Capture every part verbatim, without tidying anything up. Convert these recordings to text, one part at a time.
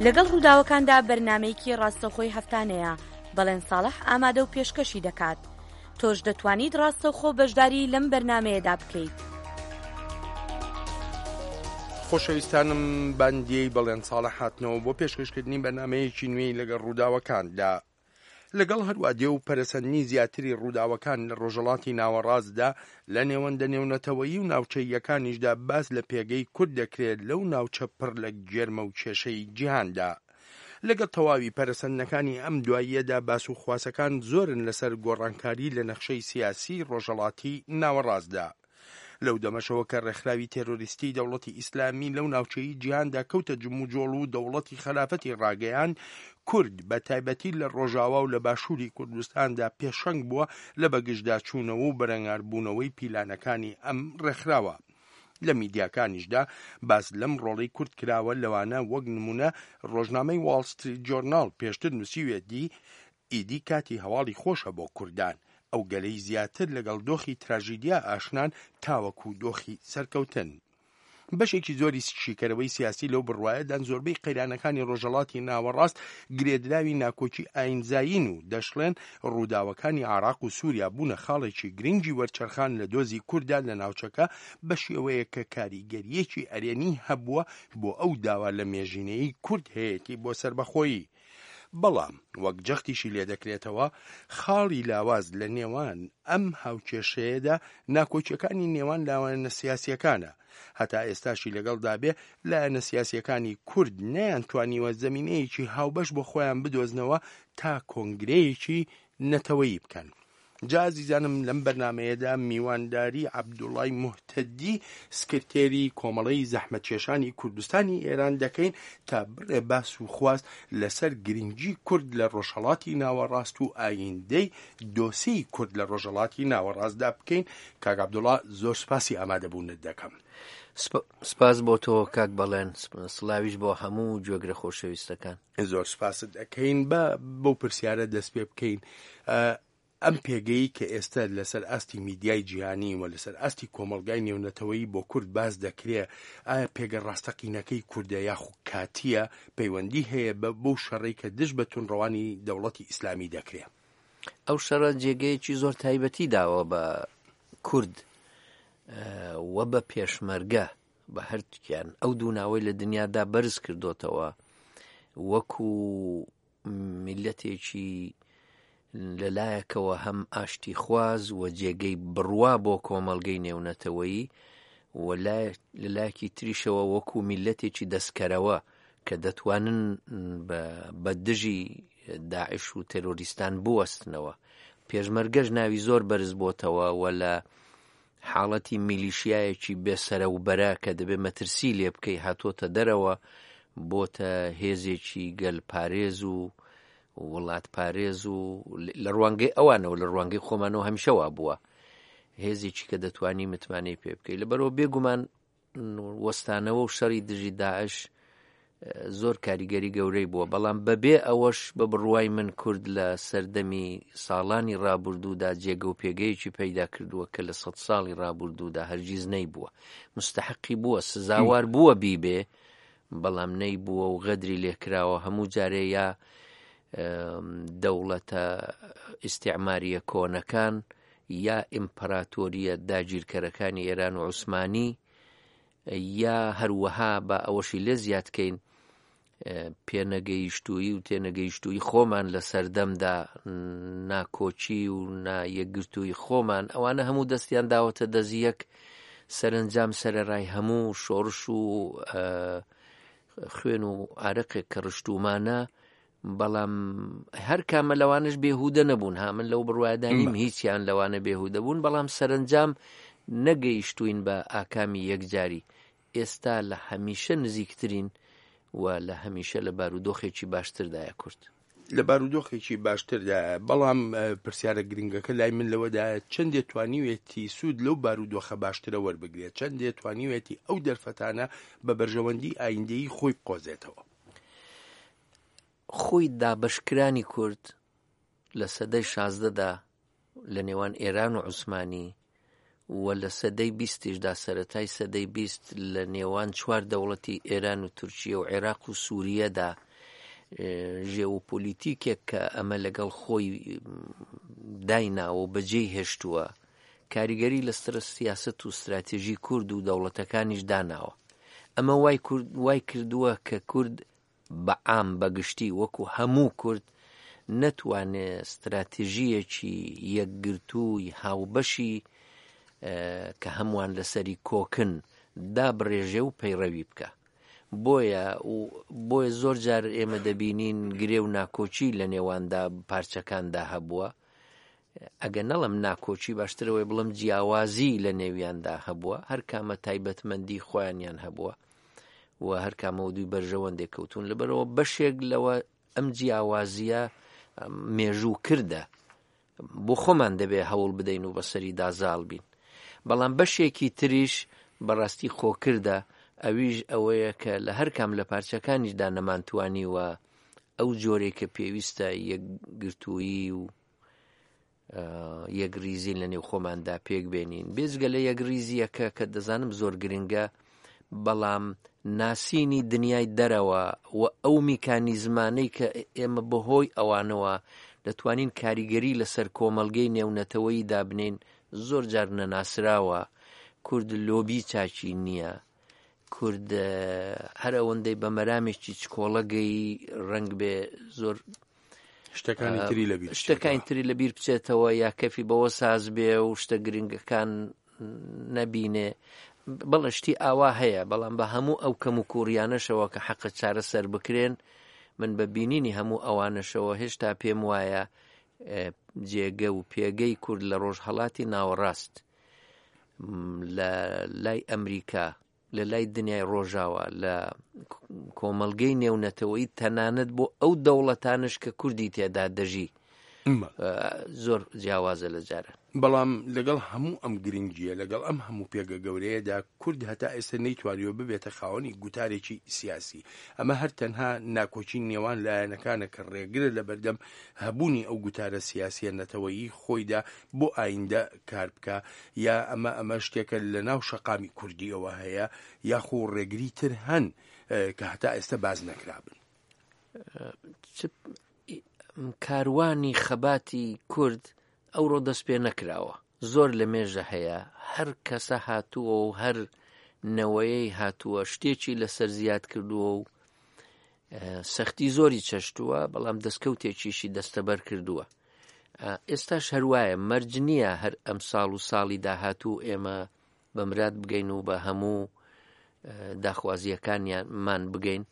لەگەڵ ڕووداوەکاندا بەرنامەیەکی ڕاستەوخۆی هەفتانەیە، بەڵێن ساڵح ئامادە و پێشکەشی دەکات. تۆش دەتوانیت ڕاستەوخۆ بەشداری لەم بەرنامەیەدا بکەیت. خۆشەویستانم باندیەی بەڵێن ساڵح هاتنەوە بۆ پێشکەشکردنی بەرنامەیەکی نوێی لەگەڵ ڕووداوەکاندا. لەگەڵ هەروادێ و پەرەسەندنی زیاتری ڕووداوەکان لە ڕۆژهەڵاتی ناوەڕاستدا، لە نێوەندە نێونەتەوەیی و ناوچەییەکانیشدا باس لە پێگەی کورد دەکرێت لەو ناوچە پڕ لە گێرمە و کێشەی جیهاندا. لەگەڵ تەواوی پەرەسەندنەکانی ئەم دواییەدا باس و خواسەکان زۆرن لەسەر گۆڕانکاری لە نەخشەی سیاسیی ڕۆژهەڵاتی ناوەڕاستدا. لەو دەمەشەوە کە ڕێکخراوی تێرۆریستی دەوڵەتی ئیسلامی لەو ناوچەی جیهاندا کەوتە جموجۆڵ و دەوڵەتی خەلافەتی ڕاگەیاند، کورد بە تایبەتی لە ڕۆژاوا و لە باشووری کوردستاندا پێشەنگ بووە لە بەگژداچوونەوە و بەرەنگاربوونەوەی پیلانەکانی ئەم ڕێکخراوە. لە میدیاکانیشدا باس لەم ڕۆڵەی کورد کراوە، لەوانە وەک نمونە ڕۆژنامەی واڵ ستریت جۆرناڵ پێشتر نووسیویەتی ئیدی کاتی هەواڵی خۆشە بۆ کوردان، ئەو گەلەی زیاتر لەگەڵ دۆخی تراژیدیا ئاشنان تاوەکو دۆخی سەرکەوتن. بەشێکی زۆری شیکەرەوەی سیاسی لەو بڕوایەدان زۆربەی قەیرانەکانی ڕۆژهەڵاتی ناوەڕاست گرێدراوی ناکۆکی ئاینزایین و دەشڵێن ڕووداوەکانی عێراق و سووریا بوونە خاڵێکی گرنگی وەرچەرخان لە دۆزی کورددا لە ناوچەکە بە شێوەیەک کە کاریگەرییەکی ئەرێنی هەبووە بۆ ئەو داوا لە مێژینەیی کورد هەیەتی بۆ سەربەخۆیی. بەڵام وەک جەختیشی لێدەکرێتەوە خاڵی لاواز لە نێوان ئەم هاوکێشەیەدا ناکۆکیەکانی نێوان لایەنە سیاسیەکانە. هەتا ئێستاشی لەگەڵدا بێ لایەنە سیاسیەکانی کورد نەیانتوانیوە زەمینەیەکی هاوبەش بۆ خۆیان بدۆزنەوە تا کۆنگرەیەکی نەتەوەیی بکەن. جا ئازیزانم لەم بەرنامەیەدا میوانداری عەبدوڵای موهتەدی سکرتێری کۆمەڵەی زەحمەتکێشانی کوردستانی ئێران دەکەین تا بڕێ باس و خواست لەسەر گرنگی کورد لە ڕۆژهەڵاتی ناوەڕاست و ئایندەی دۆسێی کورد لە ڕۆژهەڵاتی ناوەڕاستدا بکەین. کاک عەبدوڵا زۆر سپاسی ئامادەبوونت دەکەم. سپاس بۆ تۆ کاک بەڵێن، سڵاویش بۆ هەموو گوێگرە خۆشەویستەکان. زۆر سپاست دەکەین. بە بەو پرسیارە دەست پێ بکەین، ئەم پێگەی کە ئێستا لەسەر ئاستی میدیای جیهانی و لەسەر ئاستی کۆمەڵگای نێونەتەوەیی بۆ کورد باس دەکرێ، ئایا پێگە ڕاستەقینەکەی کوردە یاخود کاتیە پەیوەندی هەیە بە بەو شەڕەی کە دژ بە توندڕەوانی دەوڵەتی ئیسلامی دەکرێ؟ ئەو شەڕە جێگەیەکی زۆر تایبەتی داوە بە کورد و بە پێشمەرگە، بە هەردووکیان ئەو دوو ناوەی لە دنیادا بەرز کردوتەوە وەکو میلەتێکی لەلایەکەوە هەم ئاشتی خواز و جێگەی بڕوا بۆ کۆمەڵگەی نێونەتەوەیی و لەلایەکی تریشەوە وەکو میلەتێکی دەستکەرەوە کە دەتوانن بە دژی داعش و تێرۆریستان بوەستنەوە. پێشمەرگەش ناوی زۆر بەرز بۆتەوە و لە حاڵەتی میلیشیایەکی بێسەرە و بەرە کە دەبێ مەترسی لێ بکەی هاتۆتە دەرەوە، بۆتە هێزێکی گەلپارێز و وڵات پارێز و لە ڕوانگەی ئەوانەوە لە ڕوانگەی خۆمانەوە هەمیشە وا بووە هێزێکی کە دەتوانی متمانەی پێ بکەی. لەبەرەوە بێگومان وەستانەوە و شەڕی دژی داعش زۆر کاریگەری گەورەی بووە، بەڵام بەبێ ئەوەش بە بڕوای من کورد لە سەردەمی ساڵانی ڕابردوودا جێگە و پێگەیەکی پەیدا کردووە کە لە سەد ساڵی ڕابردوودا هەرگیز نەیبووە. مستحقی بووە، سزاوار بووە بیبێ، بەڵام نەیبووە و غەدری لێکراوە. هەموو جارێ یا دەوڵەتە ئیستیعماریە کۆنەکان یا ئیمپراتۆریە داگیرکەرەکانی ئێران و عوسمانی یا هەروەها بە ئەوەشی لێ زیادکەین پێنەگەیشتوویی و تێنەگەیشتوویی خۆمان لە سەردەمدا، ناکۆکی و نایەکگرتوویی خۆمان، ئەوانە هەموو دەستیان داوەتە دەست یەک. سەرنجام سەرەڕای هەموو شۆڕش و خوێن و ئارەقێک کە ڕشتومانە، بەڵام هەر کامە لەوانش بێهودە نەبوون. ها من لەو بڕوایەدا نیم هیچیان لەوانە بێهودە بوون، بەڵام سەرنجام نەگەیشتوین بە ئاکامی یەکجاری. ئێستا لە هەمیشە نزیکترین و لە هەمیشە لە بارودۆخێکی باشتردایە کورد. لە بارودۆخێکی باشتردایە، بەڵام پرسیارە گرنگەکە لای من لەوەدایە چەندێ توانیوێتی سوود لەو بارودۆخە باشترە وەربگرێت، چەندێ توانیوێتی ئەو دەرفەتانە بە بەرژەوەندی ئایندەیی خۆی بقۆزێتەوە. خۆی دابەشکرانی کورد لە سەدەی شازدەدا لە نێوان ئێران و عوسمانی و لە سەدەی بیستیشدا سەرەتای سەدەی بیست لە نێوان چوار دەوڵەتی ئێران و تورکیە و عێراق و سووریەدا ژێوپۆلیتیکێک کە ئەمە لەگەڵ خۆی دایناوە و بەجێی هێشتووە کاریگەری لەسەر سیاسەت و ستراتیژی کورد و دەوڵەتەکانیش داناوە. ئەمە وای کردووە کە کورد بە عام بەگشتی وەکو هەموو کورد نەتوانێ ستراتیژیەکی یەکگرتووی هاوبەشی کە هەمووان لەسەری کۆکن دابڕێژێ و پەیڕەوی بکە. بۆیە بۆیە زۆر جار ئێمە دەبینین گرێ و ناکۆکی لە نێواندا پارچەکاندا هەبووە. ئەگەر نەڵم ناکۆکی باشترەوەی بڵم جیاوازی لە نێویاندا هەبووە، هەر کامە تایبەتمەندی خۆیانیان هەبووە و هەر کامە دووی بەرژەوەندێک کەوتون. لەبەرەوە بەشێک لەوە ئەم جیاوازیە مێژوو کردە بۆ خۆمان دەبێ هەوڵ بدەین و بەسەریدا زاڵ بین، بەڵام بەشێکی تریش بەڕاستی خۆکردە، ئەویش ئەوەیە کە لە هەر کام لە پارچەکانیشدا نەمانتوانیوە ئەو جۆرێک کە پێویستە یەکگرتوویی و یەکریزین لە نێو خۆماندا پێک بێنین. بێجگە لە یەکریزیەکە کە دەزانم زۆر گرنگە، بەڵام ناسینی دنیای دەرەوە و ئەو میکانیزمانەی کە ئێمە بەهۆی ئەوانەوە دەتوانین کاریگەری لەسەر کۆمەڵگەی نێونەتەوەیی دابنین زۆر جار نەناسراوە. کورد لۆبی چاکی نییە، کورد هەر ئەوەندەی بە مەرامێکی چکۆڵەگەی ڕەنگ بێ زۆر شتەکانی تری لەبیر شتەکانی تری لەبیر بچێتەوە یا کەفی بەوە ساز بێ و شتە گرنگەکان نەبینێ. بەڵێ شتی ئاوا هەیە، بەڵام بە هەموو ئەو کەم و کوڕیانەشەوە کە حەقە چارەسەر بکرێن، من بە بینینی هەموو ئەوانەشەوە هێشتا پێم وایە جێگە و پێگەی کورد لە ڕۆژهەڵاتی ناوەڕاست لە لای ئەمریکا، لە لای دنیای ڕۆژاوە، لە کۆمەڵگەی نێونەتەوەی، تەنانەت بۆ ئەو دەوڵەتانش کە کوردی تێدا دەژی زۆر جیاوازە لە جارە. بەڵام لەگەڵ هەموو ئەم گرنگیە، لەگەڵ ئەم هەموو پێگە گەورەیەدا، کورد هەتا ئێستا نەیتوانیوە ببێتە خاوەنی گوتارێکی سیاسی. ئەمە هەر تەنها ناکۆکی نێوان لایەنەکانە کە ڕێگرە لە بەردەم هەبوونی ئەو گوتارە سیاسیە نەتەوەیی خۆیدا بۆ ئایندە کار بکە، یا ئەمە ئەمە شتێکە لە ناو شەقامی کوردیەوە هەیە، یاخۆ ڕێگری تر هەن کە هەتا ئێستا باز نەکرابن. کاروانی خەباتی کورد ئەوڕۆ دەست پێ نەکراوە، زۆر لە مێژە هەیە، هەر کەسە هاتووە و هەر نەوەیەی هاتووە شتێکی لەسەر زیاد کردووە و سەختی زۆری چەشتووە، بەڵام دەستکەوتێکیشی دەستەبەر کردووە. ئێستاش هەروایە، مەرج نییە هەر ئەم ساڵ و ساڵی داهاتوو ئێمە بە مراد بگەین و بە هەموو داخوازیەکانیانمان بگەین،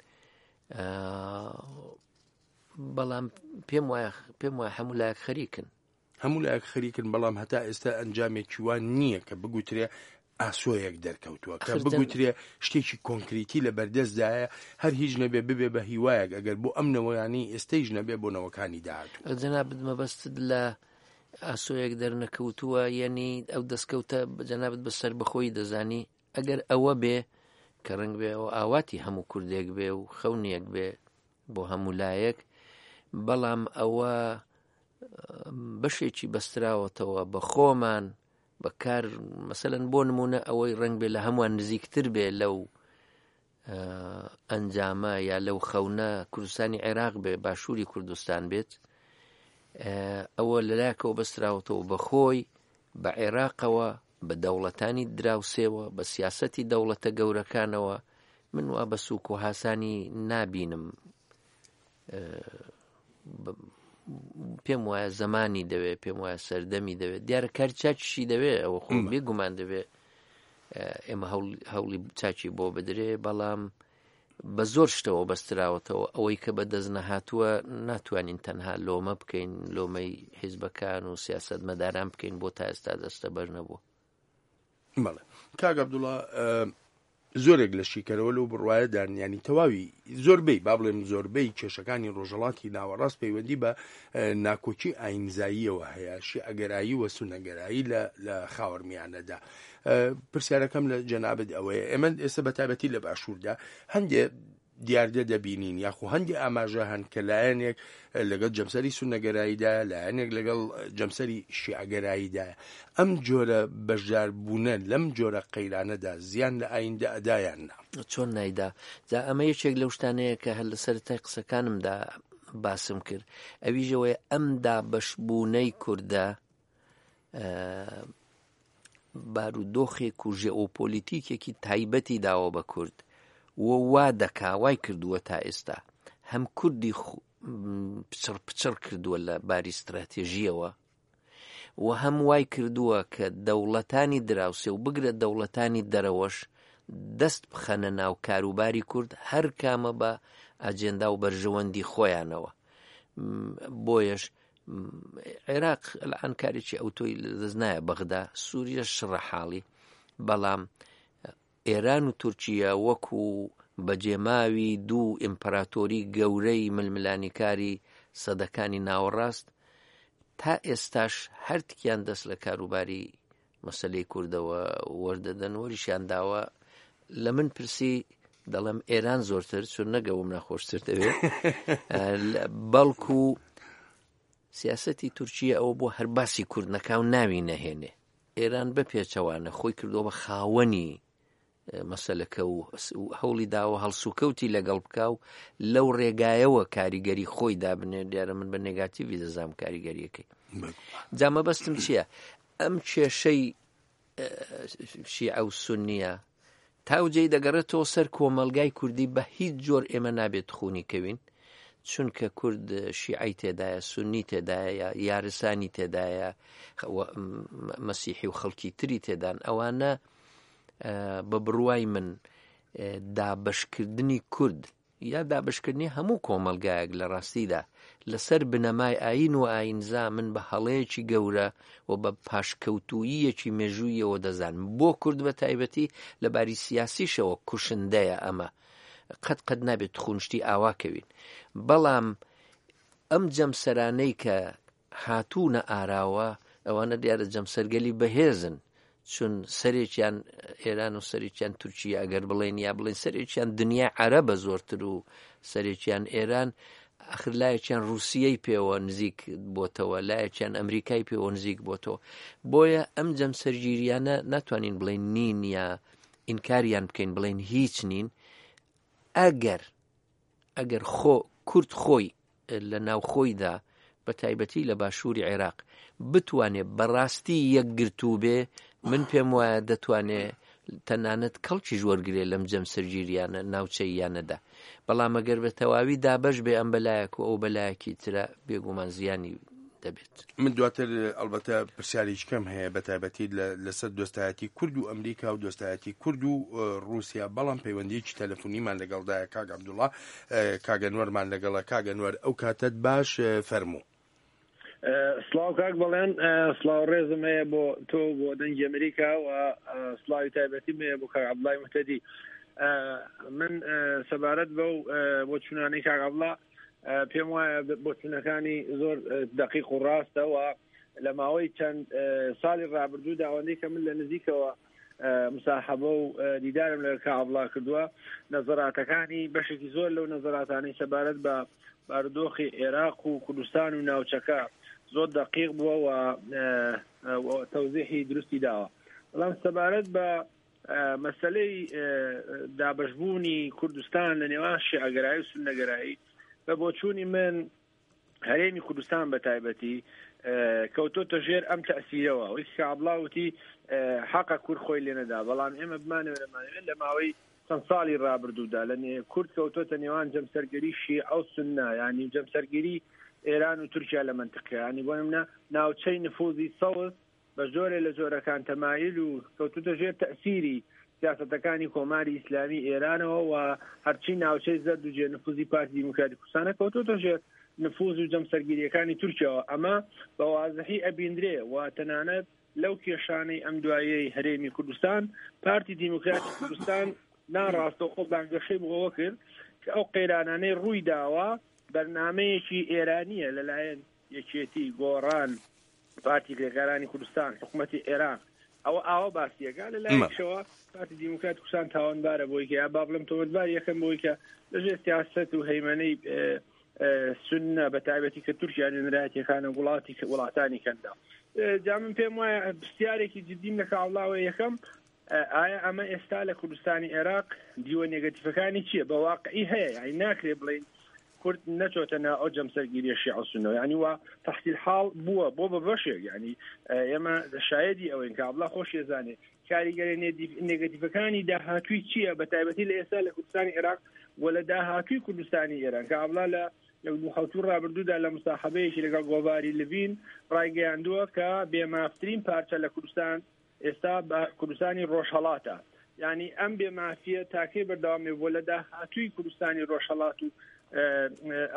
بەڵام پێم وایە پێم وایە هەموو لایەک خەریکن، هەموو لایەک خەریکن، بەڵام هەتا ئێستا ئەنجامێکی وان نییە کە بگوترێ ئاسۆیەک دەرکەوتووە، کە بگوترێ شتێکی کۆنکریتی لە بەردەستدایە، هەر هیچ نەبێ ببێ بە هیوایەک ئەگەر بۆ ئەم نەوەیانی ئێستەیش نەبێ بۆ نەوەکانی داهاتوو. جەنابت مەبەستت لە ئاسۆیەک دەرنەکەوتووە، یعنی ئەو دەستکەوتە جەنابت بە سەربەخۆیی دەزانی؟ ئەگەر ئەوە بێ کە ڕەنگ بێ ئەوە ئاواتی هەموو کوردێک بێ و خەونێک بێ بۆ هەموو لایەک، بەڵام ئەوە بەشێکی بەستراوەتەوە بە خۆمان بەکار. مەسەلەن بۆ نمونە ئەوەی ڕەنگ بێ لە هەمووان نزیکتر بێ لەو ئەنجامە یا لەو خەونە کوردستانی عێراق بێ، باشووری کوردستان بێت، ئەوە لەلایەکەوە بەستراوەتەوە بە خۆی، بە عێراقەوە، بە دەوڵەتانی دراوسێوە، بە سیاسەتی دەوڵەتە گەورەکانەوە. من وا بە سوک و هاسانی نابینم. پێم وایە زەمانی دەوێت، پێم وایە سەردەمی دەوێت، دیارە کاری چاکیشی دەوێت، ئەوە خۆ بێگومان دەوێت ئێمە هەوڵی چاکی بۆ بدرێ، بەڵام بە زۆر شتەوە بەستراوەتەوە. ئەوەی کە بەدەست نەهاتووە ناتوانین تەنها لۆمە بکەین، لۆمەی حیزبەکان و سیاسەتمەداران بکەین بۆ تا ئێستا دەستەبەر نەبوو. بەڵێ کاک عەبدوڵڵا، زۆرێک لە شیکەرەوە لەو بڕوایەدان، ینی تەواوی زۆربەی با بڵێم زۆربەی کێشەکانی ڕۆژهەڵاتی ناوەڕاست پەیوەندی بە ناکۆکی ئاینزاییەوە هەیە، شیعەگەرایی و سوننەگەرایی لە خاوەرمیانەدا. پرسیارەکەم لە جەنابت ئەوەیە، ئێمە ئێستا بە تایبەتی لە باشووردا هەندێ دیاردە دەبینین یاخو هەندێک ئاماژە هەن کە لایەنێک لەگەڵ جەمسەری سوننەگەراییدایە، لایەنێک لەگەڵ جەمسەری شیعەگەراییدایە. ئەم جۆرە بەشداربوونە لەم جۆرە قەیرانەدا زیان لە ئایندە ئەدایان نا؟ چۆن نایدا؟ جا ئەمە یەکێک لەو شتانەیە کە هەر لە سەرەتای قسەکانمدا باسم کرد، ئەویشەوەیە ئەم دابەشبوونەی کوردە بارودۆخێک و ژێئۆپۆلیتیکێکی تایبەتی داوە بە کورد و وا دەکا وای کردووە تا ئێستا هەم کوردی پچڕ پچڕ کردووە لە باری ستراتێژیەوە و هەم وای کردووە کە دەوڵەتانی دراوسێ و بگرە دەوڵەتانی دەرەوەش دەست بخەنە ناو کاروباری کورد هەر کامە بە ئەجێندا و بەرژەوەندی خۆیانەوە. بۆیەش عێراق الان کارێکی ئەوتۆی لەدەست نایە بەغدا، سووریە شڕە حاڵی، بەڵام ئێران و تورکیا وەکو بەجێماوی دوو ئیمپراتۆری گەورەی ململانیکاری سەدەکانی ناوەڕاست تا ئێستاش هەرتکیان دەست لە کاروباری مەسلەی کوردەوە وەردەدەن، وەریشیان داوە. لە من پرسی دەڵێم ئێران زۆرتر، چون نەگەوم ناخۆشتر دەوێت، بەڵکو سیاسەتی تورکیا ئەوە بۆ هەر باسی کورد نەکاو ناوی نەهێنێ. ئێران بەپێچەوانە خۆی کردووە بە خاوەنی مەسەلەکە و هەوڵی داوە هەڵسوکەوتی لەگەڵ بکا و لەو ڕێگایەوە کاریگەری خۆی دابنێ. دیارە من بە نێگاتیڤی دەزانم کاریگەریەکەی. جا مەبەستم چییە؟ ئەم کێشەی شیعە و سوننیە تاوجێی دەگەڕێتەوە سەر کۆمەلگای کوردی. بە هیچ جۆر ئێمە نابێت خونی کەوین، چونکە کورد شیعەی تێدایە، سوننی تێدایە، یارسانی تێدایە، مەسیحی و خەڵکی تری تێدان. ئەوانە بە بڕوای من دابەشکردنی کورد یا دابەشکردنی هەموو کۆمەلگایەک لە ڕاستیدا لەسەر بنەمای ئاین و ئاینزا من بە هەڵەیەکی گەورە و بە پاشکەوتوویەکی مێژوویەوە دەزانم. بۆ کورد بە تایبەتی لە باری سیاسیشەوە کوشندەیە ئەمە، قەت قەت نابێت خونشتی ئاوا کەوین. بەڵام ئەم جەمسەرانەی کە هاتوونە ئاراوە ئەوانە دیارە جەمسەرگەلی بەهێزن، چون سەرێکیان ئێران و سەرێکیان تورکیا ئەگەر بڵێن یا بڵێن سەرێکیان دنیای عەرەبە زۆرتر و سەرێکیان ئێران، ئەخر لایەکیان ڕووسیەی پێوە نزیک بۆتەوە، لایەکیان ئەمریکای پێوە نزیک بۆتەوە. بۆیە ئەم جەمسەرگیریانە ناتوانین بڵێن نین یا ئینکاریان بکەین بڵێن هیچ نین. ئەگەر ئەگەر خۆ کورد خۆی لە ناوخۆیدا بە تایبەتی لە باشووری عێراق بتوانێت بەڕاستی یەکگرتوو بێ، من پێم وایە دەتوانێت تەنانەت کەڵکیش وەرگێ لەم جەمسەرگیریانە ناوچەییانەدا. بەڵام ئەگەر بە تەواوی دابەش بێ ئەم بەلایەک و ئەو بەلایەکی ترە، بێگومان زیانی دەبێت. من دواتر ئەلبەتە پرسیارێکی کەم هەیە بە تایبەتی لەسەر دۆستایەتی کورد و ئەمریکا و دۆستایەتی کورد و ڕووسیا، بەڵام پەیوەندیەکی تەلەفۆنیمان لەگەڵدایە کاک عەبدوڵڵا، کاک ئەنوەرمان لەگەڵە. کاک ئەنوەر ئەو کاتەت باش، فەرموو. سڵاو کاک بەڵێن، سڵاو ڕێزم هەیە بۆ تۆ بۆ دەنگی ئەمریکا و سڵاوی تایبەتیم هەیە بۆ کاک عەبدوڵڵای موهتەدی. من سەبارەت بەو بۆ چوونانەی کاک عەبدوڵڵا پێم وایە بۆچوونەکانی زۆر دەقیق و ڕاستە و لە ماوەی چەند ساڵی ڕابردوودا ئەوەندەی کە من لە نزیکەوە مساحەبە و دیدارم لە کاک عەبدوڵڵا کردووە، نەزەراتەکانی بەشێکی زۆر لەو نەزەراتانەی سەبارەت بە بارودۆخی عێراق و کوردستان و ناوچەکە زۆر دەقیق بووە و تەوزیحی دروستی داوە. بەڵام سەبارەت بە مەسەلەی دابەشبوونی کوردستان لە نێوان شیعەگەرایی و سوننەگەرایی، بە بۆچوونی من هەرێمی کوردستان بە تایبەتی کەوتۆتە ژێر ئەم تەئسیرەوە. وەکی کە عەبدوڵڵا وتی حەقە کورد خۆی لێنەدا، بەڵام ئێمە بمانەوێ نەمانەوێ لە ماوەی چەند ساڵی ڕابردوودا لە کورد کەوتۆتە نێوان جەمسەرگەری شیعە و سوننە، یعنی جەمسەرگیری ئێران و تورکیا لە منطقە، یعنی بۆ نمونە ناوچەی نفوزی سەوز بە جۆرێ لە جۆرەکان تەمایل و کەوتۆتە ژێر تەئسیری سیاسەتەکانی کۆماری ئیسلامی ئێرانەوە و هەرچی ناوچەی زەرد و جێ نفوزی پارتی دیموکراتی کوردستانە کەوتۆتە ژێر نفوز و جەمسەرگیریەکانی تورکیاوە. ئەمە بە وازحی ئەبیندرێ و تەنانەت لەو کێشانەی ئەم دوایەی هەرێمی کوردستان پارتی دیموکراتی کوردستان ناڕاستەوخۆ بانگەشەی بۆەوە کرد کە ئەو قەیرانانەی ڕووی داوە بەرنامەیەکی ئێرانیە لەلایەن یەکێتی، گۆڕان، پارتی کرێکارانی کوردستان، حکوومەتی عێراق ئەوە ئاوە باسیەکە لە لایەکەوە پارتی دیموکرات کوردستان تاوانبارە بۆی کە یا با بڵێم تۆمەتبار یەکەم بۆی کە لەژێر سیاسەت و هەیمەنەی سوننە بە تایبەتی کە تورکیا نوێنەرایەتیەکانە وڵاتی وڵاتانی کەندا. جا من پێم وایە پرسیارێکی جدیم لە کاوڵاوە یەکەم، ئایا ئەمە ئێستا لە کوردستانی عێراق دیوە نێگەتیفەکانی چییە؟ بە واقعی هەیە، یعنی ناکرێ بڵێین کورد نەچۆتە نا ئەو جەمسەرگیریە شیعە و سوننەوە، یعنی وا تەحسیل حاڵ بووە بۆ بە بەشێک، یعنی ئێمە شایدی ئەوەین کە عەبدوڵڵا خۆشی ئەزانێ کاریگەری نێگەتیفەکانی داهاتووی چییە بە تایبەتی لە ئێستا لە کوردستانی عێراق و لە داهاتووی کوردستانی ئێران کە عەبدوڵڵا لە لە حەوتوو ڕابردوودا لە مساحبەیەکی لەگەڵ گۆڤاری لڤین ڕایگەیاندووە کە بێمافترین پارچە لە کوردستان ئێستا بە کوردستانی ڕۆژهەڵاتە. یعنی ئەم بێمافیە تاکەی بەردەوامێ بۆ لە داهاتووی کوردستانی ڕۆژهەڵات و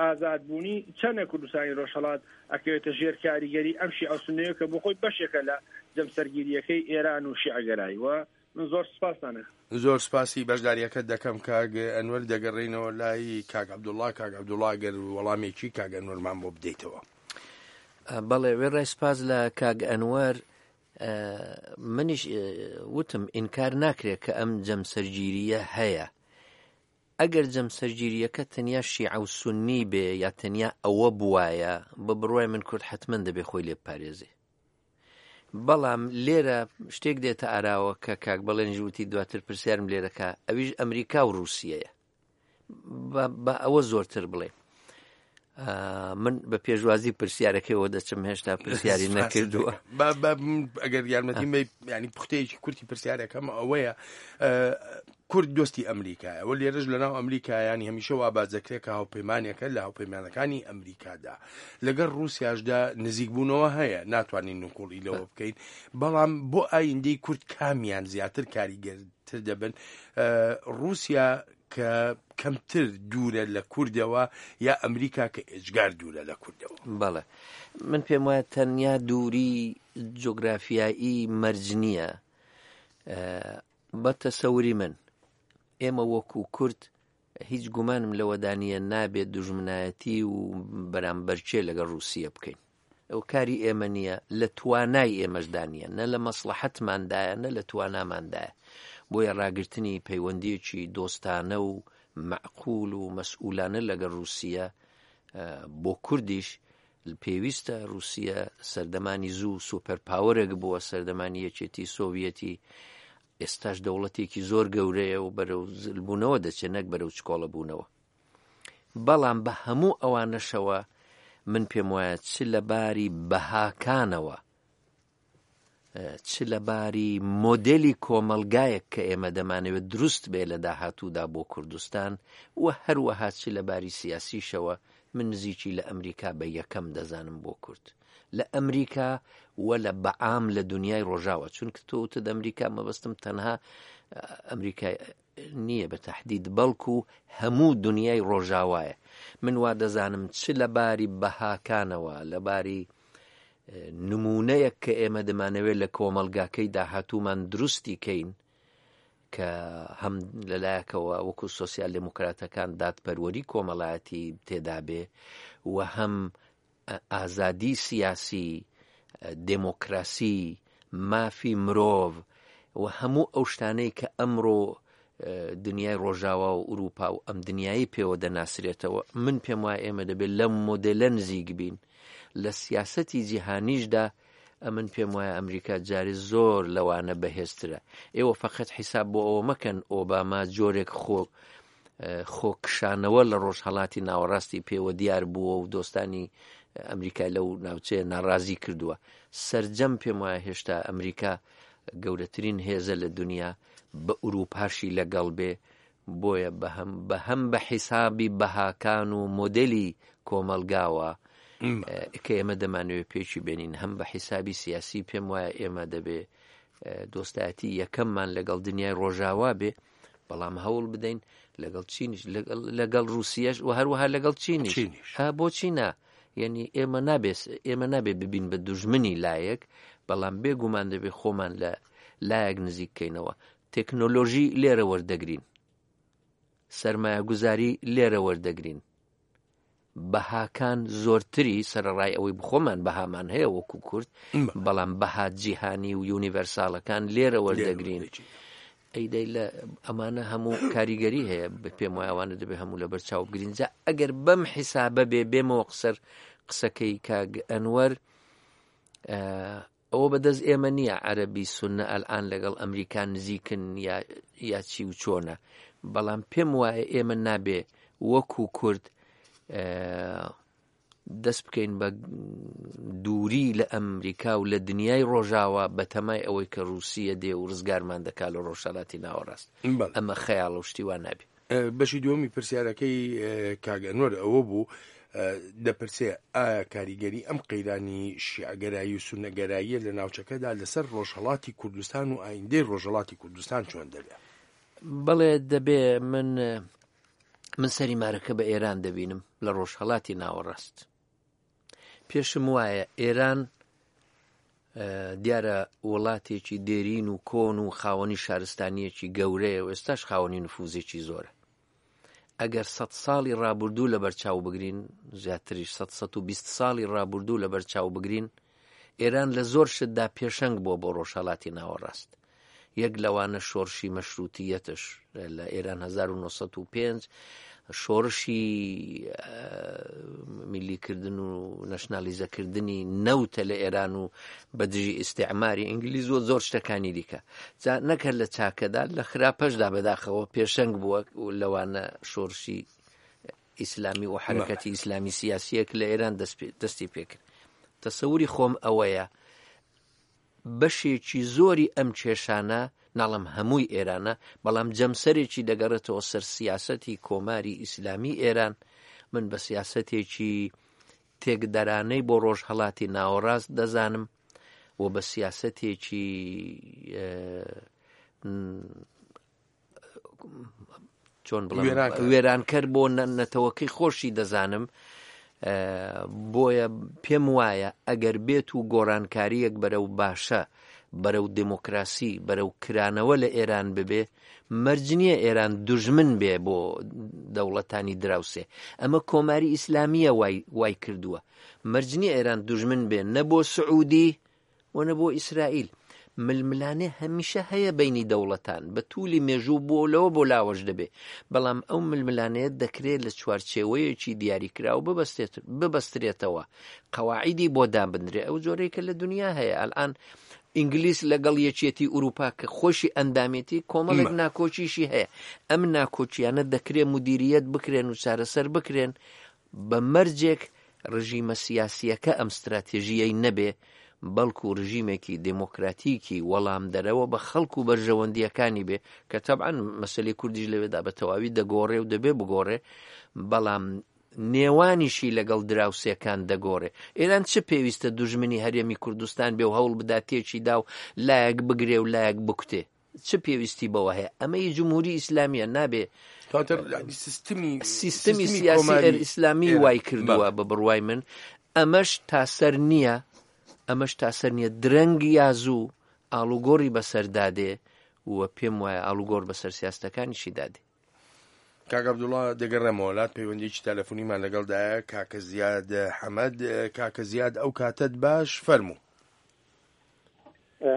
ئازادبوونی چەنە کوردستانی ڕۆژهەڵات ئەکەوێتە ژێر کاریگەری ئەم شیعە و سوننەیە کە بۆ خۆی بەشێکە لە جەمسەرگیریەکەی ئێران و شیعەگەرایی. و من زۆر سپاسانە. زۆر سپاسی بەشداریەکەت دەکەم کاک ئەنوەر. دەگەڕێینەوە لای کاک عەبدوڵڵا. کاک عەبدوڵڵا ئەگەر وەڵامێکی کاک ئەنوەرمان بۆ بدەیتەوە. بەڵێ، وێڕای سپاس لە کاک ئەنوەر. منیش وتم ئینکار ناکرێت کە ئەم جەمسەرگیریە هەیە. ئەگەر جەمسەرگیریەکە تەنیا شیعە و سوننی بێ یا تەنیا ئەوە بوایە، بە بڕوای من کورد حتمما دەبێ خۆی لێ بپارێزێ. بەڵام لێرە شتێک دێتە ئاراوە کە کاک بەڵێن وتی دواتر پرسیارم لێرەکە، ئەویش ئەمریکا و ڕووسیەیە. بە ئەوە زۆرتر بڵێ. من بە پێشوازی پرسیارەکەیەوە دەچم، هێشتا پرسیاری نەکردووە. ئەگەر یارمەتیم بەی، ینی پوختەیەکی کورتی پرسیارەکەم ئەوەیە، کورد دۆستی ئەمریکایە و لێرەش لەناو ئەمریکایانی هەمیشە وا باز دەکرێت کە هاوپەیمانێکە لە هاوپەیمانەکانی ئەمریکادا. لەگەڵ ڕووسیاشدا نزیکبوونەوە هەیە، ناتوانین نکۆڵی لەوە بکەین، بەڵام بۆ ئایندەی کورد کامیان زیاتر کاریگەرتر دەبن؟ ڕووسیا کە کەمتر دوورە لە کوردەوە یا ئەمریکا کە ئێجگار دوورە لە کوردەوە؟ بەڵێ، من پێم وایە تەنیا دووری جوگرافیایی مەرج نییە. بە تەسەوری من ئێمە وەکو کورد هیچ گومانم لەوەدا نییە نابێت دوژمنایەتی و بەرامبەرچێ لەگەڵ ڕووسیە بکەین. ئەو کاری ئێمە نییە، لە توانای ئێمەشدا نییە، نە لە مەسڵەحەتماندایە نە لە تواناماندایە. بۆیە ڕاگرتنی پەیوەندیەکی دۆستانە و مەعقول و مەسئولانە لەگەڵ ڕووسیە بۆ کوردیش پێویستە. ڕووسیە سەردەمانی زوو super power ێک بووە، سەردەمانی یەکێتی سۆڤیەتی، ئێستاش دەوڵەتێکی زۆر گەورەیە و بەرەو زلبوونەوە دەچێت نەک بەرەو چکۆڵە بوونەوە. بەڵام بە هەموو ئەوانەشەوە من پێم وایە چ لە باری بەهاکانەوە چ لە باری مۆدێلی کۆمەلگایەک کە ئێمە دەمانەوێت دروست بێ لە داهاتوودا بۆ کوردستان و هەروەها چ لە باری سیاسیشەوە، من نزیکی لە ئەمریکا بە یەکەم دەزانم بۆ کورد. لە ئەمریکا و لە بەعام لە دنیای ڕۆژاوە، چونکە تۆ وتت ئەمریکا، مەبەستم تەنها ئەمریکا نییە بە تەحدید، بەڵکو هەموو دنیای ڕۆژاوایە. من وا دەزانم چ لە باری بەهاکانەوە، لە باری نمونەیەک کە ئێمە دەمانەوێت لە کۆمەلگاکەی داهاتوومان دروستی کەین، کە هەم لەلایەکەوە وەکو سۆسیال دێموکراتەکان دادپەروەری کۆمەڵایەتی تێدا بێ و هەم ئازادی سیاسی، دێموکراسی، مافی مرۆڤ و هەموو ئەو شتانەی کە ئەمڕۆ دنیای ڕۆژاوا و ئەوروپا و ئەم دنیایی پێوە دەناسرێتەوە، من پێم وایە ئێمە دەبێت لەم مۆدێلە نزیک بین. لە سیاسەتی جیهانیشدا ئەمن پێم وایە ئەمریکا جارێ زۆر لەوانە بەهێزترە. ئێوە فەقەت حیساب بۆ ئەوە مەکەن ئۆباما جۆرێک خۆ خۆکشانەوە لە ڕۆژهەڵاتی ناوەڕاستی پێوە دیار بووە و دۆستانی ئەمریکا لەو ناوچەیە ناڕازی کردووە. سەرجەم پێم وایە هێشتا ئەمریکا گەورەترین هێزە لە دنیا، بە ئەوروپاشی لەگەڵ بێ، بۆیە بەهەم بەهەم بە حیسابی بەهاکان و مۆدێلی کۆمەلگاوە کە ئێمە دەمانەوێت پێکی بێنین، هەم بە حیسابی سیاسی پێم وایە ئێمە دەبێ دۆستایەتی یەکەممان لەگەڵ دنیای ڕۆژاوا بێ، بەڵام هەوڵ بدەین لەگەڵ چینیش، لەگەڵ ڕووسیەش و هەروەها لەگەڵ چینیش. ها بۆچی نا؟ یعنی ئێمە نابێت ئێمە نابێ ببین بە دوژمنی لایەک، بەڵام بێگومان دەبێ خۆمان لە لایەک نزیک کەینەوە. تەکنۆلۆژی لێرە وەردەگرین، سەرمایەگوزاری لێرە وەردەگرین، بەهاکان زۆرتری سەرەڕای ئەوەی بخۆمان بەهامان هەیە وەکو کورد، بەڵام بەها جیهانی و یونیڤەرساڵەکان لێرە وەردەگرین. ئەی دەی لە ئەمانە هەموو کاریگەری هەیە، پێم وایە ئەوانە دەبێ هەموو لەبەر چاو بگرین. جا ئەگەر بەم حیسابە بێ بێمەوە قسەر قسەکەی کاک ئەنوەر، ئەوە بەدەست ئێمە نییە عەرەبی سوننە ئەلئان لەگەڵ ئەمریکا نزیکن یا چی و چۆنە، بەڵام پێم وایە ئێمە نابێ وەکو کورد دەست بکەین بە دووری لە ئەمریکا و لە دنیای ڕۆژاوا بە تەمای ئەوەی کە ڕووسیە دێ و ڕزگارمان دەکا لە ڕۆژهەڵاتی ناوەڕاست. ئەمە خەیاڵ و شتی وا نابێ. بەشی دووەمی پرسیارەکەی کاک ئەنوەر ئەوە بوو، دەپرسێ ئایا کاریگەری ئەم قەیرانی شیعەگەرایی و سوننەگەراییە لە ناوچەکەدا لەسەر ڕۆژهەڵاتی کوردستان و ئایندەی ڕۆژهەڵاتی کوردستان چۆن دەبێ؟ بەڵێ دەبێ. من من سەری مارەکە بە ئێران دەبینم لە ڕۆژهەڵاتی ناوەڕاست. پێشم وایە ئێران دیارە وڵاتێکی دێرین و کۆن و خاوەنی شارستانیەکی گەورەیە و ئێستاش خاوەنی نفوزێکی زۆرە. ئەگەر سەد ساڵی ڕابردوو لەبەر چاو بگرین، زیاتریش سەد سەد و بیست ساڵی ڕابردوو لەبەر چاو بگرین، ئێران لە زۆر شتدا پێشەنگ بووە بۆ ڕۆژهەڵاتی ناوەڕاست. یەک لەوانە شۆڕشی مەشرووتیەتش لە ئێران هەزار و نۆ سەد و پێنج شۆڕشی میلیکردن و نەشنالیزەکردنی نەوتە لە ئێران و بە دژی ئیستعماری ئینگلیز و زۆر شتەکانی دیکە. جا نەکرد لە چاکەدا لە خراپەشدا بەداخەوە پێشەنگ بووە لەوانە شۆڕشی ئیسلامی و حرەکەتی ئیسلامی سیاسیەک لە ئێران دەستی پێکرد. تەسەوری خۆم ئەوەیە بەشێکی زۆری ئەم کێشانە، ناڵم هەمووی ئێرانە، بەڵام جەمسەرێکی دەگەڕێتەوە سەر سیاسەتی کۆماری ئیسلامی ئێران. من بە سیاسەتێکی تێکدەرانەی بۆ ڕۆژهەڵاتی ناوەڕاست دەزانم و بە سیاسەتێکی چۆن بڵێم وێرانکەر بۆ نەتەوەکەی خۆشی دەزانم. بۆیە پێم وایە ئەگەر بێت و گۆڕانکاریەک بەرەو باشە، بەرەو دێموکراسی، بەرەو کرانەوە لە ئێران ببێ، مەرج نییە ئێران دوژمن بێ بۆ دەوڵەتانی دراوسێ. ئەمە کۆماری ئیسلامیە وای کردووە. مەرج نییە ئێران دوژمن بێ نە بۆ سعودی و نە بۆ ئیسرائیل. ململانێ هەمیشە هەیە بینی دەوڵەتان بە توولی مێژوو بۆ لەوە بۆ لاوەش دەبێ، بەڵام ئەو ململانەیە دەکرێت لە چوارچێوەیەکی دیاریکراو ببەسترێتەوە، قەواعیدی بۆ دابنرێ، ئەو جۆرەی کە لە دنیا هەیە. ئەلئان ئینگلیس لەگەڵ یەکێتی ئەوروپا کە خۆشی ئەندامێتی کۆمەڵێک ناکۆکیشی هەیە. ئەم ناکۆکیانە دەکرێت مدیریەت بکرێن و چارەسەر بکرێن بە مەرجێک ڕژیمە سیاسیەکە ئەم ستراتێژیەی نەبێ، بەڵکو ڕژیمێکی دێموکراتیکی وەڵامدەرەوە بە خەڵک و بەرژەوەندیەکانی بێ، کە تەبعەن مەسەلەی کوردیش لەوێدا بە تەواوی دەگۆڕێ و دەبێ بگۆڕێ، بەڵام نێوانیشی لەگەڵ دراوسێکان دەگۆڕێ. ئێران چ پێویستە دوژمنی هەرێمی کوردستان بێ و هەوڵ بدا تێکی دا و لایەک بگرێ و لایەک بکوتێ؟ چ پێویستی بەوە هەیە؟ ئەمەی جمهوری ئیسلامیە نابێ سیستمی سیاسی ئیسلامی وای کردووە بە بڕوای من. ئەمەش تاسەر نییە، ئەمەش تاسەر نییە. درەنگ یا زوو ئاڵوگۆڕی بەسەردادێ و پێم وایە ئاڵوگۆڕ بەسەر سیاستەکانیشی دادێ. کاک عەبدوڵڵا دەگەڕێمەوە لات، پەیوەندیکی تەلەفۆنیمان لەگەڵدایە کاکە زیاد حەمەد. کاکە زیاد ئەو کاتت باش، فەرموو.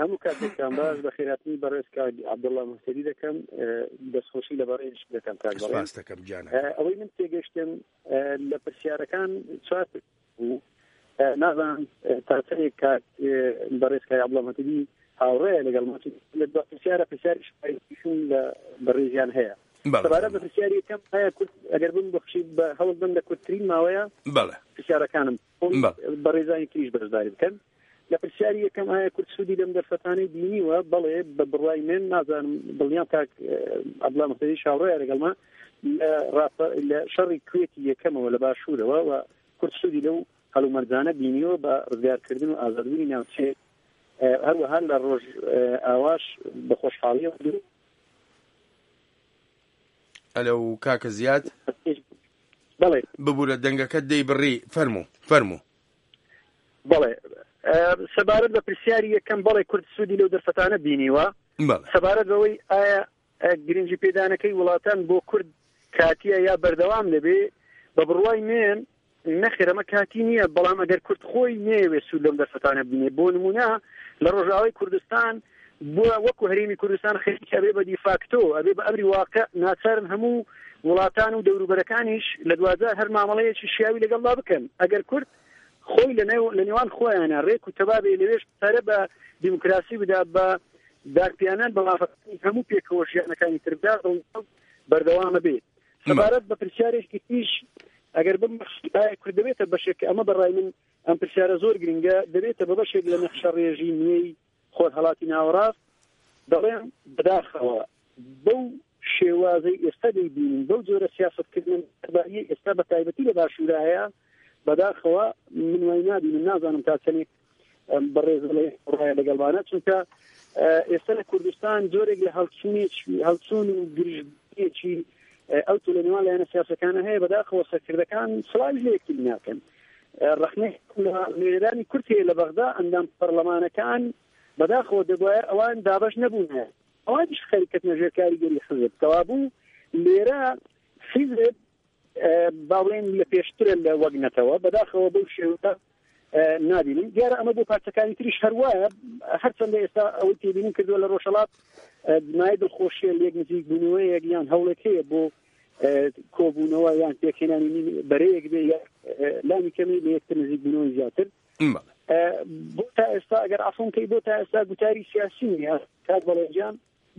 هەموو کاتێکتان باش، بەخێرهاتنی بەڕێز کاک عەبدوڵڵا مهتەدی دەکەم، دەستخۆشی لە بەڕێزیش دەکەم. کاک سپاس دەکەم گیانە. ئەوەی من تێگەشتم لە پرسیارەکان چوار بوو، نازانم تا چەندێک کاک بەڕێز کاک عەبدوڵڵا مهتەدی هاوڕێیە لەگەڵ ما، لە دوا پرسیارە پرسیاریشم لە بەڕێزیان هەیە. سەبارەت بە پرسیاری یەکەم، ئایا کورد ئەگەر بم بەخشی بە هەوڵ بم لە کورتترین ماوەیە پرسیارەکانم بەڕێزانی تریش بەشداری بکەن. لە پرسیاری یەکەم، ئایا کورد سوودی لەم دەرفەتانەی بینیوە؟ بەڵێ، بە بڕوای من نازانم دڵنیام کاک عەبدوڵڵا مهتەدی هاوڕێیە لەگەڵما، لە شەڕی کوێتی یەکەمەوە لە باشوورەوە و کورد سوودی لەو هەلومەرجانە بینیوە بە ڕزگارکردن و ئازادبوونی ناوچەیە، هەروەها لە ڕۆژ ئاواش بە خۆشحاڵیەوە. ئەلو کاکە زیاد؟ بەڵێ. ببوورە دەنگەکەت دەیبڕی، فەرموو فەرموو. بەڵێ، سەبارەت بە پرسیاری یەکەم، بەڵێ کورد سوودی لەو دەرفەتانە بینیوە. سەبارەت بەوەی ئایا گرنگی پێدانەکەی وڵاتان بۆ کورد کاتیە یا بەردەوام دەبێ، بە بڕوای من نەخێر ئەمە کاتی نییە، بەڵام ئەگەر کورد خۆی نەیەوێت سوود لەم دەرفەتانە بینێ، بۆ نمونە لە ڕۆژاوای کوردستان بۆ وەکو هەرێمی کوردستان خەریک ئەبێ بە دیفاکتۆ، ئەبێ بە ئەمری واقع، ناچارن هەموو وڵاتان و دەوروبەرەکانیش لە دوجار هەر مامەڵەیەکی شیاوی لەگەڵدا بکەن. ئەگەر کورد خۆی لە نێوان خۆیانە ڕێک و تەبابێ لەوێش پەرە بە دیموکراسی بدا، بە دارپیانان بە مافەکانی هەموو پێکەوە ژیانەکانی تر بدا، بەردەوامە بێت. سەبارەت بە پرسیارێکی تریش ئەگەر بمبەخشی ئایا کورد دەبێتە بەشێک، ئەمە بەڕای من ئەم پرسیارە زۆر گرنگە، دەبێتە بە بەشێک لە نەخشە ڕێژی نوێی خۆرهەڵاتی ناوەڕاست؟ دەڵێم بەداخەوە بەو شێوازەی ئێستا دەیبینین، بەو جۆرە سیاسەتکردن ئێستا بە تایبەتی لە باشوورە هەیە، بەداخەوە من وای نابینم، نازانم تا چەندێک بەڕێز ڕایە لەگەڵمانە، چونکە ئێستا لە کوردستان جۆرێک لە هەڵچوون و گرژبوونێکی ئەو تو لە نێوان لایەنە سیاسەکانە هەیە. بەداخەوە سەرکردەکان سڵاویش لە یەکتری ناکەن. ڕەخنەی لە نوێنەرانی کورد هەیە لە بەغدا، ئەندام پەرلەمانەکان بەداخەوە دەبوایە ئەوان دابەش نەبوونە، ئەوانیش خەریکەتنە ژێر کاریگەری حزب. کەوابوو لێرە حیزب با بڵێین لە پێشترە لە وەک نەتەوە، بەداخەوە بەو شێوە نابینین. دیارە ئەمە بۆ پارچەکانی تریش هەروایە، هەرچەندە ئێستا ئەوەی تێبینیم کردووە لە ڕۆژهەڵات مای دڵخۆشیە لێک نزیک بوونەوەیەک یان هەوڵێک هەیە بۆ کۆبوونەوە یان پێکهێنانی بەرەیەک بێ لانی کەمی لە یەکتر نزیک بوونەوەی زیاتر. بۆ تا ئێستا ئەگەر عەفوم کەی، بۆ تا ئێستا گوتاری سیاسی نییە کاک بەڵێجان.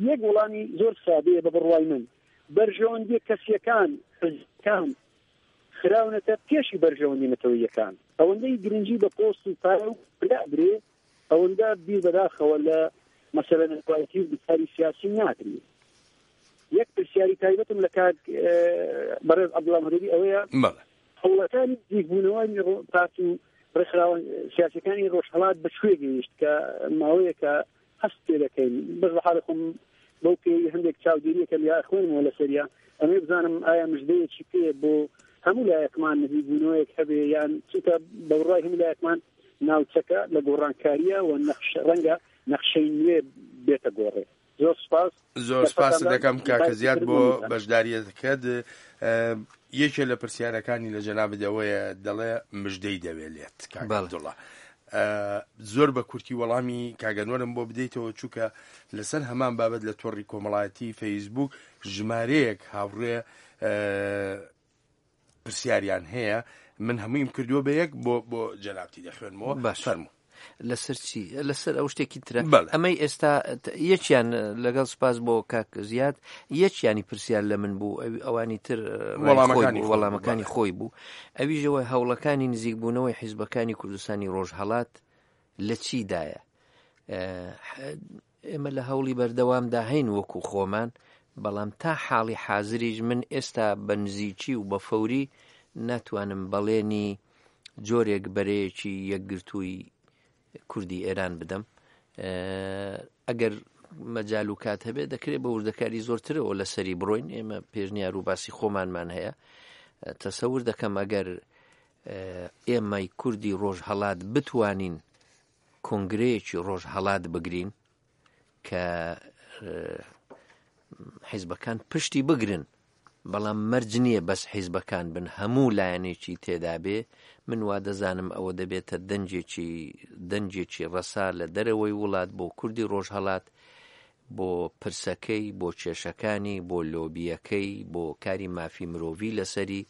یەک وەڵامی زۆر سادەیە بە بڕوای من، بەرژەوەندیە کەسیەکان حزبەکان خراونەتە پێشی بەرژەوەندی نەتەوەیەکان. ئەوەندەی گرنگی بە پۆست و پارە و پلە ئەدرێ، ئەوەندە بیر بەداخەوە لە مەسەلە نەتەوایەتی و گوتاری سیاسی ناکرێ. یەک پرسیاری تایبەتم لە کاک بەڕێز عەبدوڵڵا مهدەوی ئەوەیە، هەوڵەکانی نزیکبوونەوەی پارت و ڕێکخراوە سیاسەکانی ڕۆژهەڵات بە کوێ گەیشت کە ماوەیەکە هەست پێ دەکەین؟ بەس بە حاڵی خۆم بەو پێی هەندێک چاودێریەکە یا خوێنمەوە لەسەریا، ئەمێ بزانم ئایا مژدەیەکی پێ بۆ هەموو لایەکمان نزیکبوونەوەیەک هەبێ، یان چونکە بە بڕوای هەموو لایەکمان ناوچەکە لە گۆڕانکاریە و ڕەنگە نەخشەی نوێ بێتە گۆڕێ. زۆر سپاس. زۆر سپاس دەکەم کاکە زیاد بۆ بەشداریەکەت. یەکێ لە پرسیارەکانی لە جەنابت ئەوەیە، دەڵێ مژدەی دەوێ لێت کاک عەبدوڵڵا. زۆر بە کورتی وەڵامی کاگەنوەرم بۆ بدەیتەوە، چونکە لەسەر هەمان بابەت لە تۆڕی کۆمەڵایەتی فەیسبوک ژمارەیەک هاوڕێ پرسیاریان هەیە، من هەموویم کردووە بە یەک بۆ بۆ جەنابتی دەخوێنمەوە. باش فەرموو. لەسەر چی؟ لەسەر ئەو شتێکی ترە. ئەمەی ئێستا یەکیان لەگەڵ سپاس بۆ کاک زیاد، یەکیانی پرسیار لە من بوو، ئەوانی تر وەڵامەکانی خۆی بوو. ئەویشەوە هەوڵەکانی نزیکبوونەوەی حیزبەکانی کوردستانی ڕۆژهەڵات لە چیدایە؟ ئێمە لە هەوڵی بەردەوامدا هەین وەکو خۆمان، بەڵام تا حاڵی حازریش من ئێستا بە نزیکی و بە فەوری ناتوانم بەڵێنی جۆرێک بەرەیەکی یەکگرتووی کوردی ئێران بدەم. ئەگەر مەجال و کات هەبێت دەکرێت بە وردەکاری زۆرترەوە لەسەری بڕۆین. ئێمە پێشنیار و باسی خۆمانمان هەیە. تەسەور دەکەم ئەگەر ئێمەی کوردی ڕۆژهەڵات بتوانین کۆنگرەیەکی ڕۆژهەڵات بگرین کە حیزبەکان پشتی بگرن، بەڵام مەرج نییە بەس حیزبەکان بن، هەموو لایەنێکی تێدا بێ، من وا دەزانم ئەوە دەبێتە دەنجێکی دەنجێکی ڕەسا لە دەرەوەی وڵات بۆ کوردی ڕۆژهەڵات، بۆ پرسەکەی، بۆ کێشەکانی، بۆ لۆبیەکەی، بۆ کاری مافی مرۆڤی لەسەری،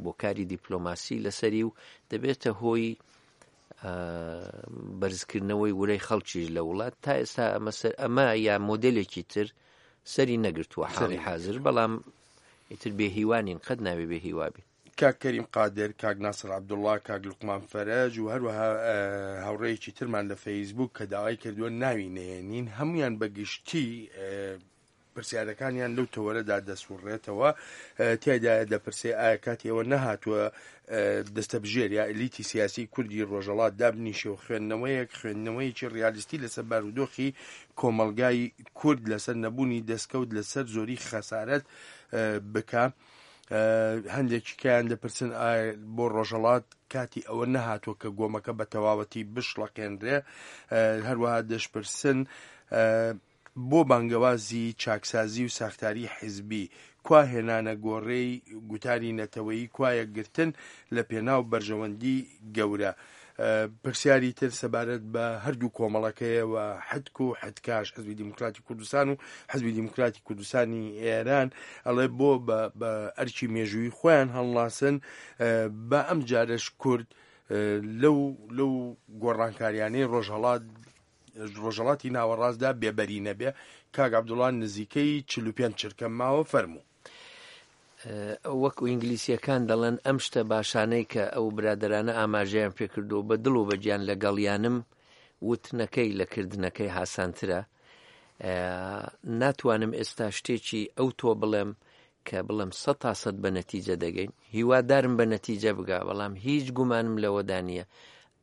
بۆ کاری دیپلۆماسی لەسەری، و دەبێتە هۆی بەرزکردنەوەی ورەی خەڵکیش لە وڵات. تا ئێستا ئەمە سەر ئەمە یا مۆدلێکی تر سەری نەگرتووە حاڵی حاضر، بەڵام ئیتر بێهیوانین، قەت ناوێ بێهیوابین. کاک کەریم قادر، کاک ناسر عەبدوڵڵا، کاک لوقمان فەرەج و هەروەها هاوڕێیەکی ترمان لە فەیسبوک کە داوای کردووە ناوی نەهێنین، هەمویان بەگشتی پرسیارەکانیان لەو تەوەرەدا دەسوڕێتەوە. تیایدا دەپرسێ ئایا کاتی ئەوە نەهاتووە دەستەبژێر یا ئەلیتی سیاسی کوردی ڕۆژهەڵات دابنیشێ و خوێندنەوەیەک خوێندنەوەیەکی ڕیالیستی لەسەر بارودۆخی کۆمەڵگای کورد لەسەر نەبوونی دەستکەوت لەسەر زۆری خەسارەت بکە. هەندێکی کەیان دەپرسن ئایا بۆ ڕۆژهەڵات کاتی ئەوە نەهاتووە کە گۆمەکە بە تەواوەتی بشڵەقێنرێ. هەروەها دەشپرسن بۆ بانگەوازی چاکسازی و ساختاری حیزبی، کوا هێنانە گۆڕێی گوتاری نەتەوەیی، کوا یەکگرتن لە پێناو بەرژەوەندی گەورە؟ پرسیاری تر سەبارەت بە هەردوو کۆمەڵەکەیە و حدک و حدکاش، حزبی دیموکراتی کوردستان و حزبی دیموکراتی کوردستانی ئێران، ئەڵێ بۆ بە ئەرکی مێژووی خۆیان هەڵناسن، بە ئەم جارەش کورد لەو لەو گۆڕانکاریانەی ڕۆژهەڵات ڕۆژهەڵاتی ناوەڕاستدا بێبەری نەبێ. کاک عەبدوڵڵا نزیکەی چل و پێنج چرکەم ماوە، فەرموو. وەکو ئینگلیسیەکان دەڵێن ئەم شتە باشانەی کە ئەو برادرانە ئاماژەیان پێکردو بە دڵ و بە گیان لەگەڵیانم، وتنەکەی لە کردنەکەی هاسانترە. ناتوانم ئێستا شتێکی ئەو تۆ بڵێم کە بڵێم سەد تا سەد بە نەتیجە دەگەین، هیوادارم بە نەتیجە بگا، بەڵام هیچ گومانم لەوەدا نییە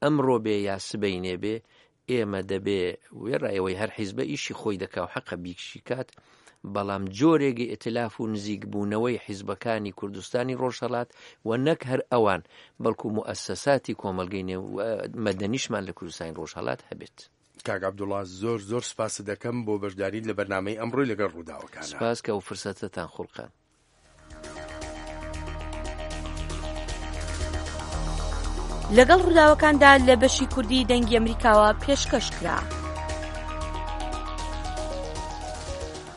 ئەمڕۆ بێ یا سبەینێ بێ ئێمە دەبێ وێڕایەوەی هەر حیزبە ئیشی خۆی دەکا و حەقە بیکشی کات، بەڵام جۆرێکی ئیتلاف و نزیکبوونەوەی حیزبەکانی کوردستانی ڕۆژهەڵات و نەک هەر ئەوان بەڵکو موئەسەساتی کۆمەڵگەی مەدەنیشمان لە کوردستانی ڕۆژهەڵات هەبێت. کاک عەبدوڵڵا زۆر زۆر سپاست دەکەم بۆ بەشداریت لە بەرنامەی ئەمڕۆی لەگەڵ ڕووداوەکانە. سپاس کە ئەو فرسەتەتان خوڵقاند. لەگەڵ ڕووداوەکاندا لە بەشی کوردی دەنگی ئەمریکاوە پێشکەش کرا.